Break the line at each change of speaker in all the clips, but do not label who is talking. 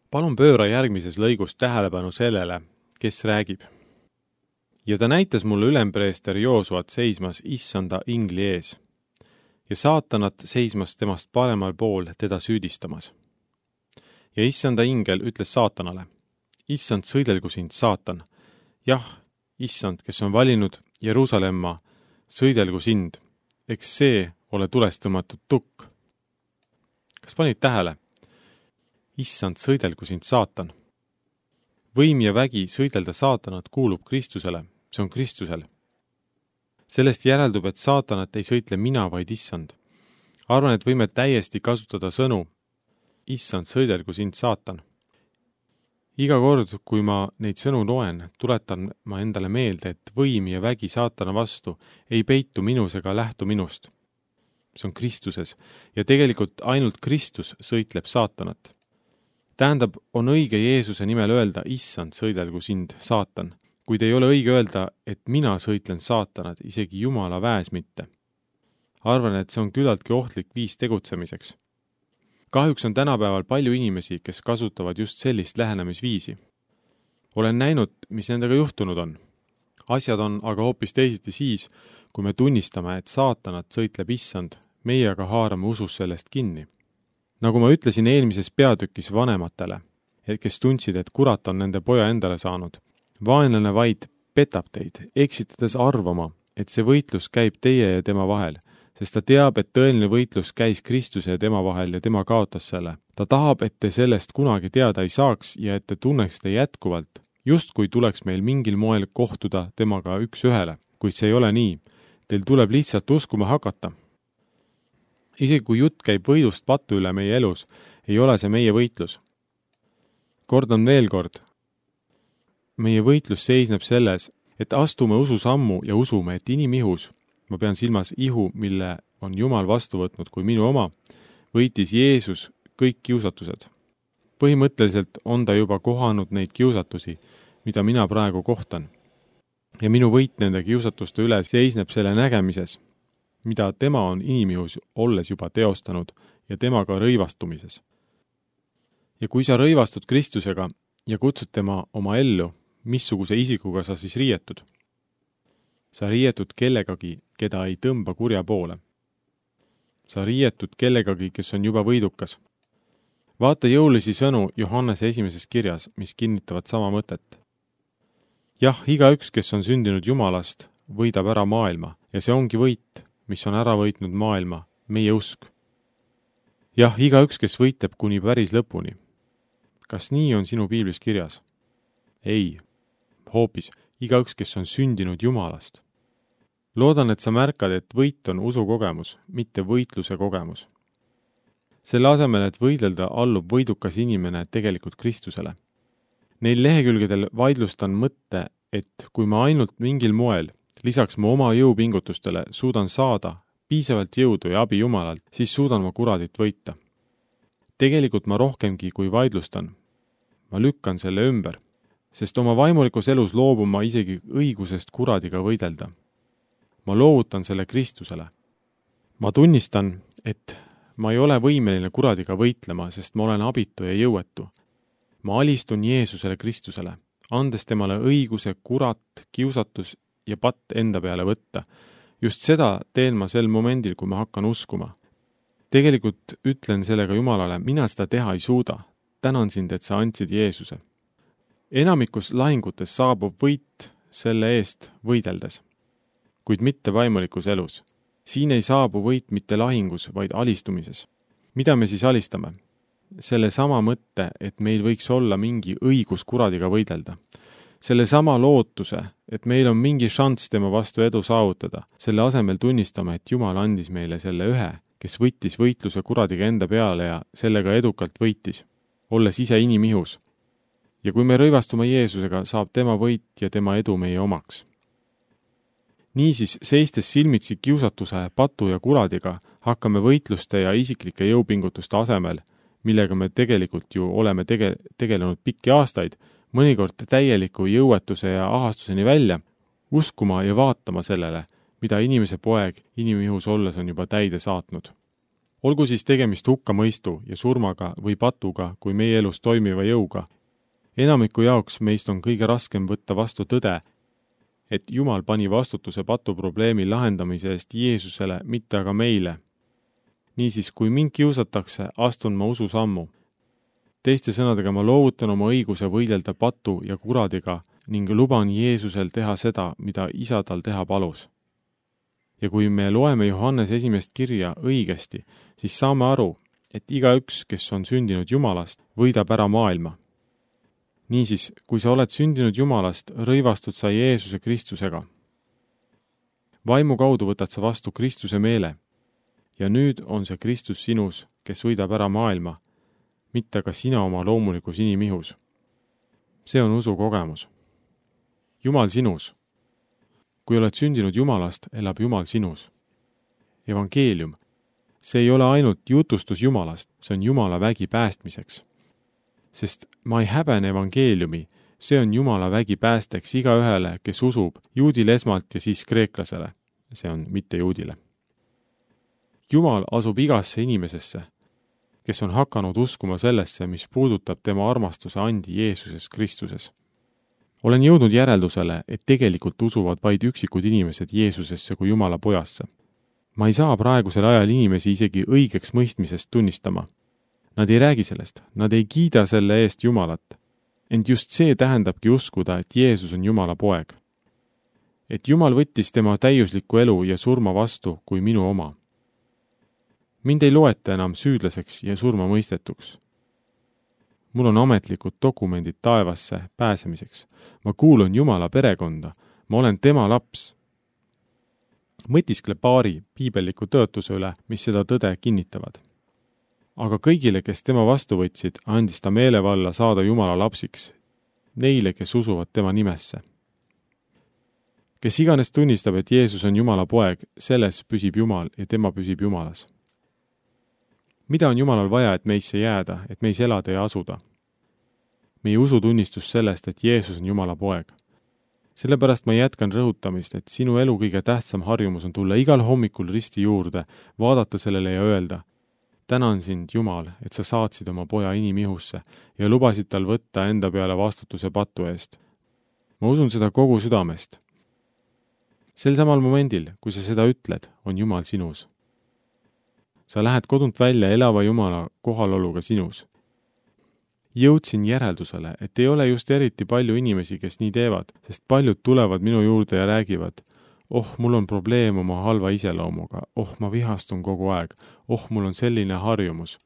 Palun pööra järgmises lõigus tähelepanu sellele, kes räägib. Ja ta näitas mulle ülempreester Joosuat seismas issanda ingli ees ja saatanat seismas temast paremal pool teda süüdistamas. Ja issanda ingel ütles saatanale, issand, sõidelgu sind, saatan. Jah, issand, kes on valinud Jeruusalemma, sõidelgu sind, eks see ole tulest tõmmatud tukk. Kas panid tähele? Issand, sõidelgu sind, saatan. Võim ja vägi sõidelda saatanat kuulub Kristusele, see on Kristusel. Sellest järeldub, et saatanat ei sõitle mina, vaid issand. Arvan, et võime täiesti kasutada sõnu, issand, sõidelgu sind, saatan. Iga kord, kui ma neid sõnu loen, tuletan ma endale meelde, et võim ja vägi saatana vastu ei peitu minus ega lähtu minust. See on Kristuses ja tegelikult ainult Kristus sõitleb saatanat. Tähendab, on õige Jeesuse nimel öelda, issand, sõidelgu sind, saatan, kuid ei ole õige öelda, et mina sõitlen saatanat, isegi Jumala väes mitte. Arvan, et see on küllaltki ohtlik viis tegutsemiseks. Kahjuks on tänapäeval palju inimesi, kes kasutavad just sellist lähenemisviisi. Olen näinud, mis nendega juhtunud on. Asjad on aga hoopis teisiti siis, kui me tunnistame, et saatanat sõitleb issand, meie aga haarame usus sellest kinni. Nagu ma ütlesin eelmises peatükis vanematele, kes tundsid, et kurat on nende poja endale saanud, vaenlane vaid petab teid, eksitades arvama, et see võitlus käib teie ja tema vahel, sest ta teab, et tõeline võitlus käis Kristuse ja tema vahel ja tema kaotas selle. Ta tahab, et te sellest kunagi teada ei saaks ja et te tunneksite jätkuvalt, justkui tuleks meil mingil moel kohtuda temaga üks ühele, kuid see ei ole nii. Teil tuleb lihtsalt uskuma hakata. Isegi kui jutt käib võidust patu üle meie elus, ei ole see meie võitlus. Kordan veel kord. Meie võitlus seisneb selles, et astume ususammu ja usume, et inimihus, ma pean silmas ihu, mille on Jumal vastu võtnud kui minu oma, võitis Jeesus kõik kiusatused. Põhimõtteliselt on ta juba kohanud neid kiusatusi, mida mina praegu kohtan. Ja minu võit nende kiusatuste üle seisneb selle nägemises, mida tema on inimihus olles juba teostanud ja temaga rõivastumises. Ja kui sa rõivastud Kristusega ja kutsud tema oma ellu, missuguse isikuga sa siis riietud? Sa riietud kellegagi, keda ei tõmba kurja poole. Sa riietud kellegagi, kes on juba võidukas. Vaata jõulisi sõnu Johannese esimeses kirjas, mis kinnitavad sama mõtet. Jah, igaüks, kes on sündinud Jumalast, võidab ära maailma ja see ongi võit, mis on ära võitnud maailma, meie usk. Jah, igaüks, kes võitleb kuni päris lõpuni. Kas nii on sinu piiblis kirjas? Ei, hoopis igaüks, kes on sündinud Jumalast. Loodan, et sa märkad, et võit on usukogemus, mitte võitluse kogemus. Selle asemel, et võidelda, allub võidukas inimene tegelikult Kristusele. Neil lehekülgedel vaidlustan mõtte, et kui ma ainult mingil moel, lisaks mu oma jõupingutustele, suudan saada piisavalt jõudu ja abi Jumalalt, siis suudan ma kuradit võita. Tegelikult ma rohkemgi kui vaidlustan. Ma lükkan selle ümber, sest oma vaimulikus elus loobun ma isegi õigusest kuradiga võidelda. Ma loovutan selle Kristusele. Ma tunnistan, et ma ei ole võimeline kuradiga võitlema, sest ma olen abitu ja jõuetu. Ma alistun Jeesusele Kristusele, andes temale õiguse kurat, kiusatus ja patt enda peale võtta. Just seda teen ma sel momendil, kui ma hakkan uskuma. Tegelikult ütlen sellega Jumalale, mina seda teha ei suuda. Tänan sind, et sa andsid Jeesuse. Enamikus lahingutes saabub võit selle eest võideldes, kuid mitte vaimulikus elus. Siin ei saabu võit mitte lahingus, vaid alistumises. Mida me siis alistame? Selle sama mõtte, et meil võiks olla mingi õigus kuradiga võidelda. Selle sama lootuse, et meil on mingi šanss tema vastu edu saavutada. Selle asemel tunnistame, et Jumal andis meile selle ühe, kes võttis võitluse kuradiga enda peale ja sellega edukalt võitis, olles ise inimihus. Ja kui me rõivastume Jeesusega, saab tema võit ja tema edu meie omaks. Niisiis, seistes silmitsi kiusatuse, patu ja kuradiga, hakkame võitluste ja isiklike jõupingutuste asemel, millega me tegelikult ju oleme tegelenud pikki aastaid, mõnikord täieliku jõuetuse ja ahastuseni välja, uskuma ja vaatama sellele, mida inimese poeg inimihus olles on juba täide saatnud. Olgu siis tegemist hukkamõistu ja surmaga või patuga kui meie elus toimiva jõuga. Enamiku jaoks meist on kõige raskem võtta vastu tõde, et Jumal pani vastutuse patuprobleemi lahendamise eest Jeesusele, mitte aga meile. Niisiis, kui mind kiusatakse, astun ma ususammu. Teiste sõnadega ma loovutan oma õiguse võidelda patu ja kuradiga ning luban Jeesusel teha seda, mida isa tal teha palus. Ja kui me loeme Johannes 1. kirja õigesti, siis saame aru, et igaüks, kes on sündinud Jumalast, võidab ära maailma. Niisiis, kui sa oled sündinud Jumalast, rõivastud sa Jeesuse Kristusega. Vaimu kaudu võtad sa vastu Kristuse meele ja nüüd on see Kristus sinus, kes võidab ära maailma, mitte ka sina oma loomulikus inimihus. See on usu kogemus. Jumal sinus. Kui oled sündinud Jumalast, elab Jumal sinus. Evangeelium. See ei ole ainult jutustus Jumalast, see on Jumala vägi päästmiseks. Sest ma ei häbene evangeeliumi, see on Jumala vägi päästeks igaühele, kes usub, juudile esmalt ja siis kreeklasele, see on mitte juudile. Jumal asub igasse inimesesse, kes on hakanud uskuma sellesse, mis puudutab tema armastuse andi Jeesuses Kristuses. Olen jõudnud järeldusele, et tegelikult usuvad vaid üksikud inimesed Jeesusesse kui Jumala pojasse. Ma ei saa praegusel ajal inimesi isegi õigeks mõistmisest tunnistama. Nad ei räägi sellest, nad ei kiida selle eest Jumalat. Ent just see tähendabki uskuda, et Jeesus on Jumala poeg. Et Jumal võttis tema täiuslikku elu ja surma vastu kui minu oma. Mind ei loeta enam süüdlaseks ja surma mõistetuks. Mul on ametlikud dokumendid taevasse pääsemiseks. Ma kuulun Jumala perekonda, ma olen tema laps. Mõtiskle paari piibelliku tõotuse üle, mis seda tõde kinnitavad. Aga kõigile, kes tema vastu võtsid, andis ta meelevalla saada Jumala lapsiks, neile, kes usuvad tema nimesse. Kes iganes tunnistab, et Jeesus on Jumala poeg, selles püsib Jumal ja tema püsib Jumalas. Mida on Jumalal vaja, et meisse jääda, et meis elada ja asuda? Meie usutunnistus sellest, et Jeesus on Jumala poeg. Sellepärast ma jätkan rõhutamist, et sinu elu kõige tähtsam harjumus on tulla igal hommikul risti juurde, vaadata sellele ja öelda: tänan sind, Jumal, et sa saatsid oma poja inimihusse ja lubasid tal võtta enda peale vastutuse patu eest. Ma usun seda kogu südamest. Sel samal momendil, kui sa seda ütled, on Jumal sinus. Sa lähed kodunt välja elava Jumala kohaloluga sinus. Jõudsin järeldusele, et ei ole just eriti palju inimesi, kes nii teevad, sest paljud tulevad minu juurde ja räägivad: mul on probleem oma halva iseloomuga, ma vihastun kogu aeg, mul on selline harjumus.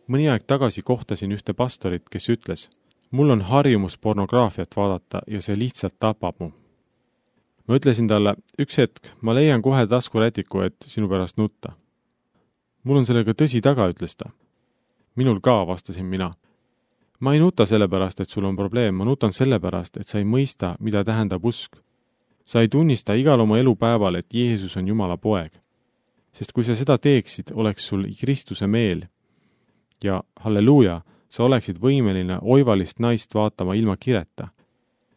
Mõni aeg tagasi kohtasin ühte pastorit, kes ütles: mul on harjumus pornograafiat vaadata ja see lihtsalt tapab mu. Ma ütlesin talle: üks hetk, ma leian kohe taskurätiku, et sinu pärast nutta. Mul on sellega tõsi taga, ütles ta. Minul ka, vastasin mina. Ma ei nuta sellepärast, et sul on probleem, ma nutan sellepärast, et sa ei mõista, mida tähendab usk. Sa ei tunnista igal oma elupäeval, et Jeesus on Jumala poeg. Sest kui sa seda teeksid, oleks sul Kristuse meel. Ja halleluuja, sa oleksid võimeline oivalist naist vaatama ilma kireta.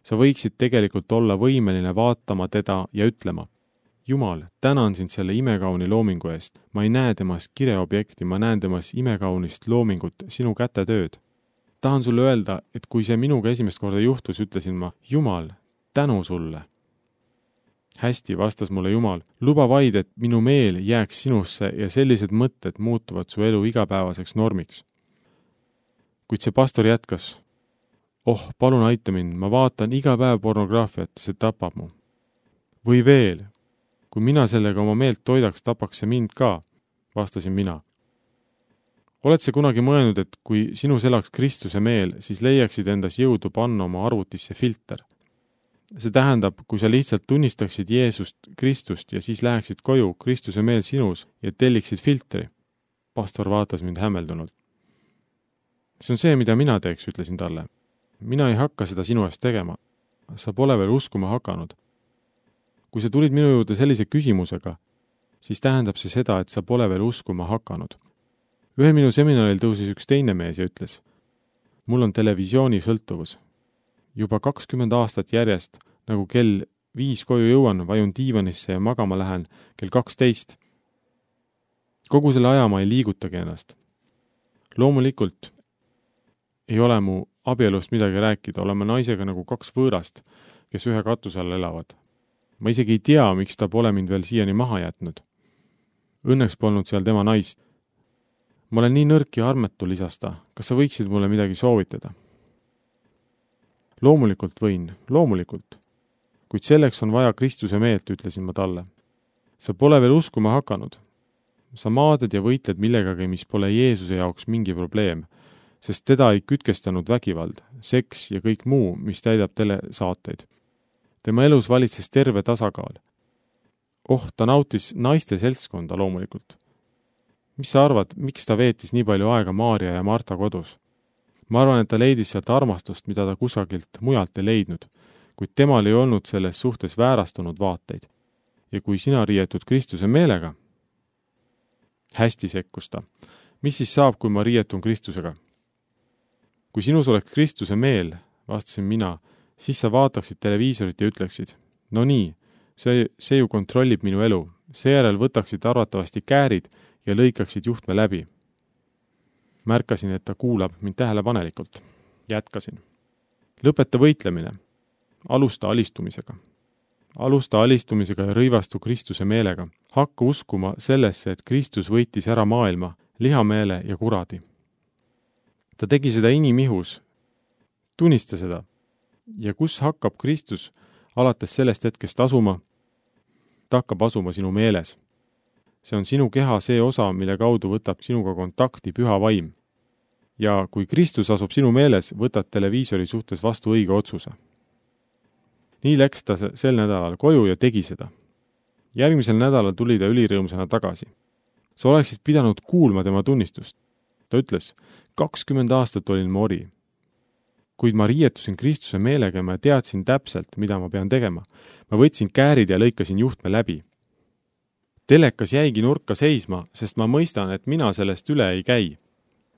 Sa võiksid tegelikult olla võimeline vaatama teda ja ütlema: Jumal, tänan sind selle imekauni loomingu eest. Ma ei näe temas kireobjekti, ma näen temas imekaunist loomingut, sinu kätetööd. Tahan sulle öelda, et kui see minuga esimest korda juhtus, ütlesin ma: Jumal, tänu sulle. Hästi, vastas mulle Jumal, luba vaid, et minu meel jääks sinusse ja sellised mõtted muutuvad su elu igapäevaseks normiks. Kuid see pastor jätkas: palun aita mind, ma vaatan iga päev pornograafiat, see tapab mu. Või veel, kui mina sellega oma meelt toidaks, tapaks see mind ka, vastasin mina. Oled sa kunagi mõelnud, et kui sinus elaks Kristuse meel, siis leiaksid endas jõudu panna oma arvutisse filter? See tähendab, kui sa lihtsalt tunnistaksid Jeesust, Kristust ja siis läheksid koju, Kristuse meel sinus ja telliksid filtri. Pastor vaatas mind hämmeldunult. See on see, mida mina teeks, ütlesin talle. Mina ei hakka seda sinu eest tegema. Sa pole veel uskuma hakanud. Kui sa tulid minu juurde sellise küsimusega, siis tähendab see seda, et sa pole veel uskuma hakanud. Ühel minu seminaril tõusis üks teine mees ja ütles: mul on televisiooni sõltuvus. Juba 20 aastat järjest, nagu kell 5 koju jõuan, vajun diivanisse ja magama lähen kell 12. kogu selle aja ma ei liigutagi ennast. Loomulikult ei ole mu abielust midagi rääkida, oleme naisega nagu kaks võõrast, kes ühe katuse all elavad. Ma isegi ei tea, miks ta pole mind veel siiani maha jätnud. Õnneks polnud seal tema naist. Ma olen nii nõrk ja armetu, lisas ta. Kas sa võiksid mulle midagi soovitada? Loomulikult võin, loomulikult. Kuid selleks on vaja Kristuse meelt, ütlesin ma talle. Sa pole veel uskuma hakanud. Sa maadad ja võitled millegagi, mis pole Jeesuse jaoks mingi probleem, sest teda ei kütkestanud vägivald, seks ja kõik muu, mis täidab telesaateid. Tema elus valitses terve tasakaal. Ta nautis naiste seltskonda loomulikult. Mis sa arvad, miks ta veetis nii palju aega Maarja ja Marta kodus? Ma arvan, et ta leidis sealt armastust, mida ta kusagilt mujalt ei leidnud, kuid temal ei olnud selles suhtes väärastunud vaateid. Ja kui sina riietud Kristuse meelega, hästi sekkus ta. Mis siis saab, kui ma riietun Kristusega? Kui sinus oleks Kristuse meel, vastasin mina, siis sa vaataksid televiisorit ja ütleksid, no nii, see ju kontrollib minu elu. Seejärel võtaksid arvatavasti käärid ja lõikaksid juhtme läbi. Märkasin, et ta kuulab mind tähelepanelikult. Jätkasin. Lõpeta võitlemine. Alusta alistumisega. Alusta alistumisega ja rõivastu Kristuse meelega. Hakka uskuma sellesse, et Kristus võitis ära maailma, lihameele ja kuradi. Ta tegi seda inimihus. Tunnista seda. Ja kus hakkab Kristus alates sellest hetkest asuma? Ta hakkab asuma sinu meeles. See on sinu keha see osa, mille kaudu võtab sinuga kontakti püha vaim. Ja kui Kristus asub sinu meeles, võtad televiisori suhtes vastu õige otsuse. Nii läks ta sel nädalal koju ja tegi seda. Järgmisel nädalal tuli ta ülirõõmsana tagasi. Sa oleksid pidanud kuulma tema tunnistust. Ta ütles, 20 aastat olin ma ori. Kuid ma riietusin Kristuse meelega ja ma teadsin täpselt, mida ma pean tegema. Ma võtsin käärid ja lõikasin juhtme läbi. Telekas jäigi nurka seisma, sest ma mõistan, et mina sellest üle ei käi.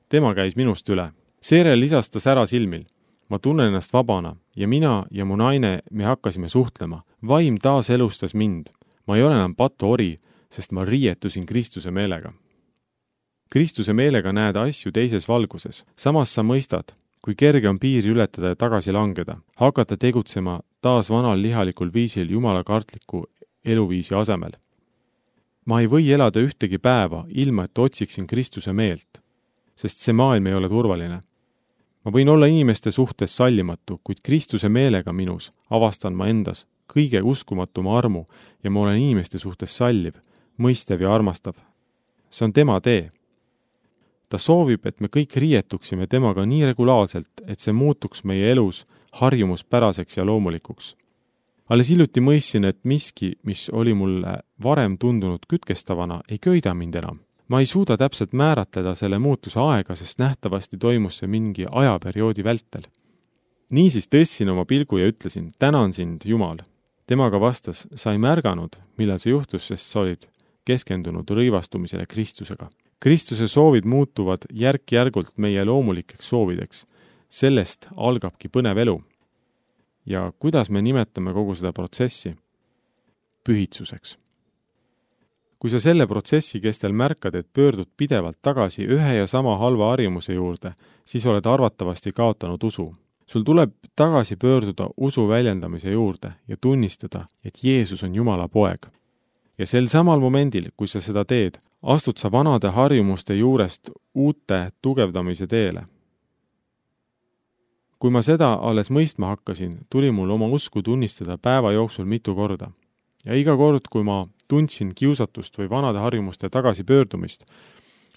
Tema käis minust üle. Seejärel lisas ta sära silmil. Ma tunnen ennast vabana ja mina ja mu naine me hakkasime suhtlema. Vaim taas elustas mind. Ma ei ole enam patu ori, sest ma riietusin Kristuse meelega. Kristuse meelega näed asju teises valguses. Samas sa mõistad, kui kerge on piiri ületada ja tagasi langeda, hakata tegutsema taas vanal lihalikul viisil jumala kartliku eluviisi asemel. Ma ei või elada ühtegi päeva, ilma et otsiksin Kristuse meelt, sest see maailm ei ole turvaline. Ma võin olla inimeste suhtes sallimatu, kuid Kristuse meelega minus avastan ma endas kõige uskumatuma armu ja ma olen inimeste suhtes salliv, mõistev ja armastav. See on tema tee. Ta soovib, et me kõik riietuksime temaga nii regulaarselt, et see muutuks meie elus harjumuspäraseks ja loomulikuks. Alles hiljuti mõistsin, et miski, mis oli mulle varem tundunud kütkestavana, ei köida mind enam. Ma ei suuda täpselt määratleda selle muutuse aega, sest nähtavasti toimus see mingi ajaperioodi vältel. Niisiis tõstsin oma pilgu ja ütlesin, tänan sind, Jumal. Temaga vastas, sa ei märganud, millal see juhtus, sest sa olid keskendunud rõivastumisele Kristusega. Kristuse soovid muutuvad järk-järgult meie loomulikeks soovideks. Sellest algabki põnev elu. Ja kuidas me nimetame kogu seda protsessi? Pühitsuseks. Kui sa selle protsessi kestel märkad, et pöördud pidevalt tagasi ühe ja sama halva harjumuse juurde, siis oled arvatavasti kaotanud usu. Sul tuleb tagasi pöörduda usu väljendamise juurde ja tunnistada, et Jeesus on Jumala poeg. Ja sel samal momendil, kui sa seda teed, astud sa vanade harjumuste juurest uute tugevdamise teele. Kui ma seda alles mõistma hakkasin, tuli mul oma usku tunnistada päeva jooksul mitu korda. Ja iga kord, kui ma tundsin kiusatust või vanade harjumuste tagasipöördumist,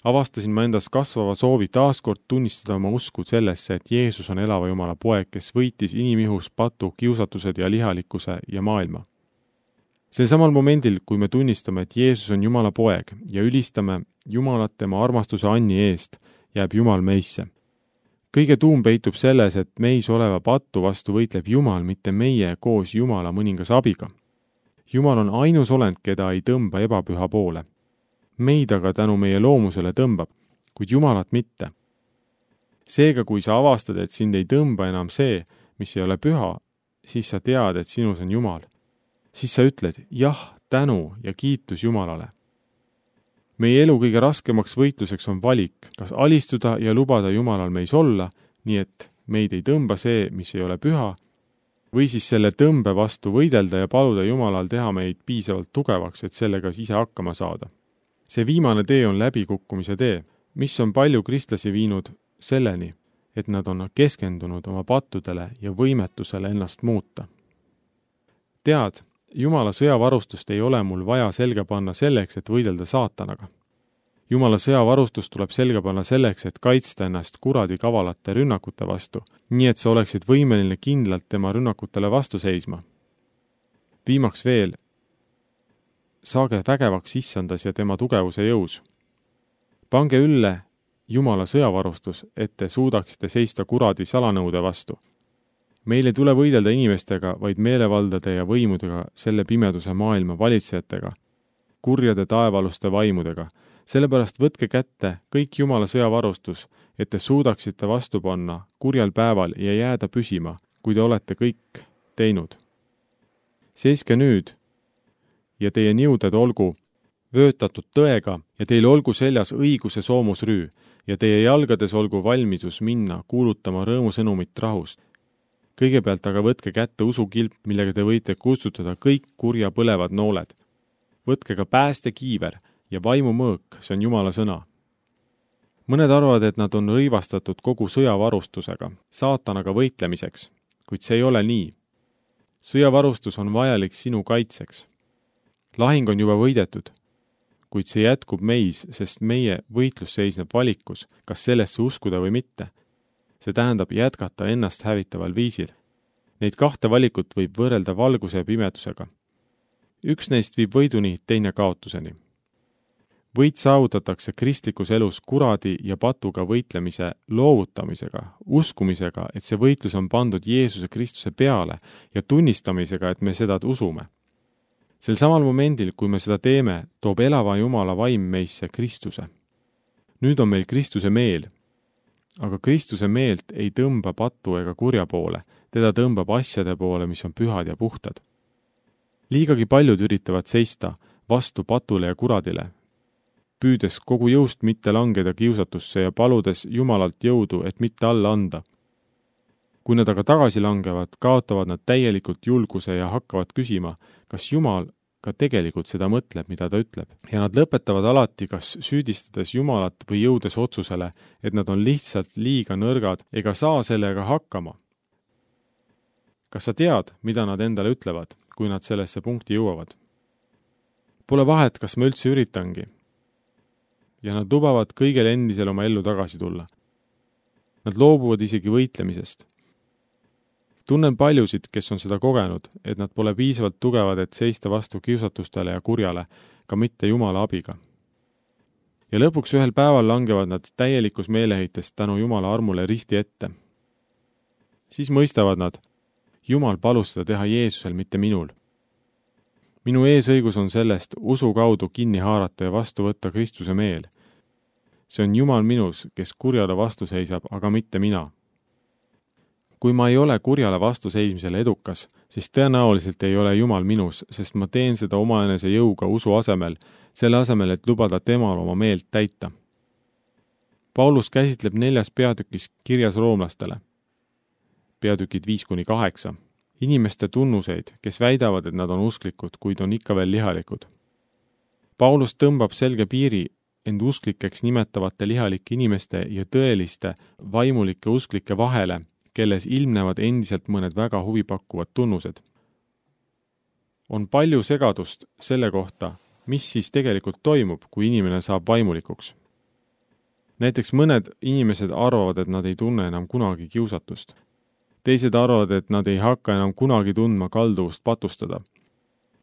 avastasin ma endas kasvava soovi taaskord tunnistada oma usku sellesse, et Jeesus on elava Jumala poeg, kes võitis inimihus patu, kiusatused ja lihalikkuse ja maailma. Sel samal momendil, kui me tunnistame, et Jeesus on Jumala poeg ja ülistame Jumalat tema armastuse anni eest, jääb Jumal meisse. Kõige tuum peitub selles, et meis oleva patu vastu võitleb Jumal, mitte meie koos Jumala mõningas abiga. Jumal on ainus olend, keda ei tõmba ebapüha poole. Meid aga tänu meie loomusele tõmbab, kuid Jumalat mitte. Seega, kui sa avastad, et sind ei tõmba enam see, mis ei ole püha, siis sa tead, et sinus on Jumal. Siis sa ütled, jah, tänu ja kiitus Jumalale. meie elu kõige raskemaks võitluseks on valik, kas alistuda ja lubada Jumalal meis olla, nii et meid ei tõmba see, mis ei ole püha, või siis selle tõmbe vastu võidelda ja paluda Jumalal teha meid piisavalt tugevaks, et sellega ise hakkama saada. See viimane tee on läbikukkumise tee, mis on palju kristlasi viinud selleni, et nad on keskendunud oma pattudele ja võimetusele ennast muuta. Tead, Jumala sõjavarustust ei ole mul vaja selga panna selleks, et võidelda saatanaga. Jumala sõjavarustus tuleb selga panna selleks, et kaitsta ennast kuradi kavalate rünnakute vastu, nii et sa oleksid võimeline kindlalt tema rünnakutele vastu seisma. Viimaks veel, saage vägevaks issandas ja tema tugevuse jõus. Pange ülle Jumala sõjavarustus, et te suudaksite seista kuradi salanõude vastu. Meil ei tule võidelda inimestega, vaid meelevaldade ja võimudega, selle pimeduse maailma valitsejatega, kurjade taevaluste vaimudega. Sellepärast võtke kätte kõik Jumala sõjavarustus, et te suudaksite vastu panna kurjal päeval ja jääda püsima, kui te olete kõik teinud. Seiske nüüd ja teie niuded olgu vöötatud tõega ja teil olgu seljas õiguse soomusrüü ja teie jalgades olgu valmidus minna kuulutama rõõmusõnumit rahust. Kõigepealt aga võtke kätte usukilp, millega te võite kustutada kõik kurja põlevad nooled. Võtke ka päästekiiver ja vaimumõõk, see on Jumala sõna. Mõned arvavad, et nad on rõivastatud kogu sõjavarustusega, saatanaga võitlemiseks, kuid see ei ole nii. Sõjavarustus on vajalik sinu kaitseks. Lahing on juba võidetud, kuid see jätkub meis, sest meie võitlus seisneb valikus, kas sellesse uskuda või mitte. See tähendab jätkata ennast hävitaval viisil. Neid kahte valikut võib võrrelda valguse ja pimedusega. Üks neist viib võiduni, teine kaotuseni. Võit saavutatakse kristlikus elus kuradi ja patuga võitlemise loovutamisega, uskumisega, et see võitlus on pandud Jeesuse Kristuse peale ja tunnistamisega, et me seda usume. Sel samal momendil, kui me seda teeme, toob elava Jumala vaim meisse Kristuse. Nüüd on meil Kristuse meel, aga Kristuse meelt ei tõmba patu ega kurja poole, teda tõmbab asjade poole, mis on pühad ja puhtad. Liigagi paljud üritavad seista vastu patule ja kuradile, püüdes kogu jõust mitte langeda kiusatusse ja paludes Jumalalt jõudu, et mitte alla anda. Kui nad aga tagasi langevad, kaotavad nad täielikult julguse ja hakkavad küsima, kas Jumal ka tegelikult seda mõtleb, mida ta ütleb. Ja nad lõpetavad alati kas süüdistades Jumalat või jõudes otsusele, et nad on lihtsalt liiga nõrgad ega saa sellega hakkama. Kas sa tead, mida nad endale ütlevad, kui nad sellesse punkti jõuavad? Pole vahet, kas ma üldse üritangi. Ja nad lubavad kõigel endisel oma ellu tagasi tulla. Nad loobuvad isegi võitlemisest. Tunnen paljusid, kes on seda kogenud, et nad pole piisavalt tugevad, et seista vastu kiusatustele ja kurjale, ka mitte Jumala abiga. Ja lõpuks ühel päeval langevad nad täielikus meeleheitest tänu Jumala armule risti ette. Siis mõistavad nad, Jumal palus seda teha Jeesusel, mitte minul. Minu eesõigus on sellest usu kaudu kinni haarata ja vastu võtta Kristuse meel. See on Jumal minus, kes kurjale vastu seisab, aga mitte mina. Kui ma ei ole kurjale vastu seismisele edukas, siis tõenäoliselt ei ole Jumal minus, sest ma teen seda omaenese jõuga usu asemel, selle asemel, et lubada temal oma meelt täita. Paulus käsitleb 4. peatükis kirjas roomlastele. Peatükid 5-8. Inimeste tunnuseid, kes väidavad, et nad on usklikud, kuid on ikka veel lihalikud. Paulus tõmbab selge piiri end usklikeks nimetavate lihalike inimeste ja tõeliste vaimulike usklike vahele, kelles ilmnevad endiselt mõned väga huvipakkuvad tunnused. On palju segadust selle kohta, mis siis tegelikult toimub, kui inimene saab vaimulikuks. Näiteks mõned inimesed arvavad, et nad ei tunne enam kunagi kiusatust. Teised arvavad, et nad ei hakka enam kunagi tundma kalduvust patustada.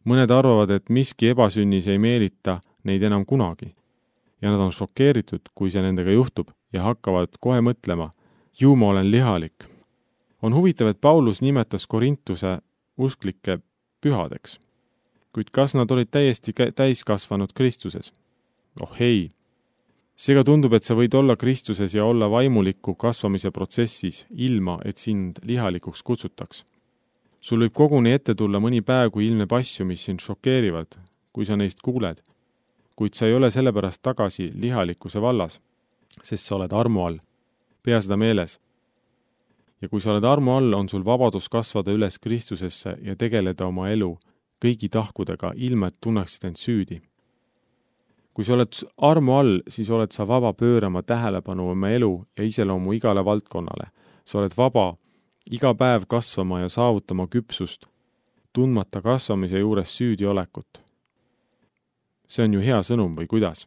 Mõned arvavad, et miski ebasünnis ei meelita neid enam kunagi. Ja nad on šokeeritud, kui see nendega juhtub ja hakkavad kohe mõtlema, ju ma olen lihalik. On huvitav, et Paulus nimetas Korintuse usklikke pühadeks. Kuid kas nad olid täiesti täiskasvanud Kristuses? Oh ei! Seega tundub, et sa võid olla Kristuses ja olla vaimuliku kasvamise protsessis, ilma et sind lihalikuks kutsutaks. Sul võib koguni ette tulla mõni päev, kui ilmneb asju, mis sind šokeerivad, kui sa neist kuuled. kuid sa ei ole sellepärast tagasi lihalikkuse vallas, sest sa oled armu all. Pea seda meeles. Ja kui sa oled armu all, on sul vabadus kasvada üles Kristusesse ja tegeleda oma elu kõigi tahkudega, ilma et tunneksid end süüdi. Kui sa oled armu all, siis oled sa vaba pöörama tähelepanu oma elu ja iseloomu igale valdkonnale. Sa oled vaba iga päev kasvama ja saavutama küpsust, tundmata kasvamise juures süüdi olekut. See on ju hea sõnum või kuidas?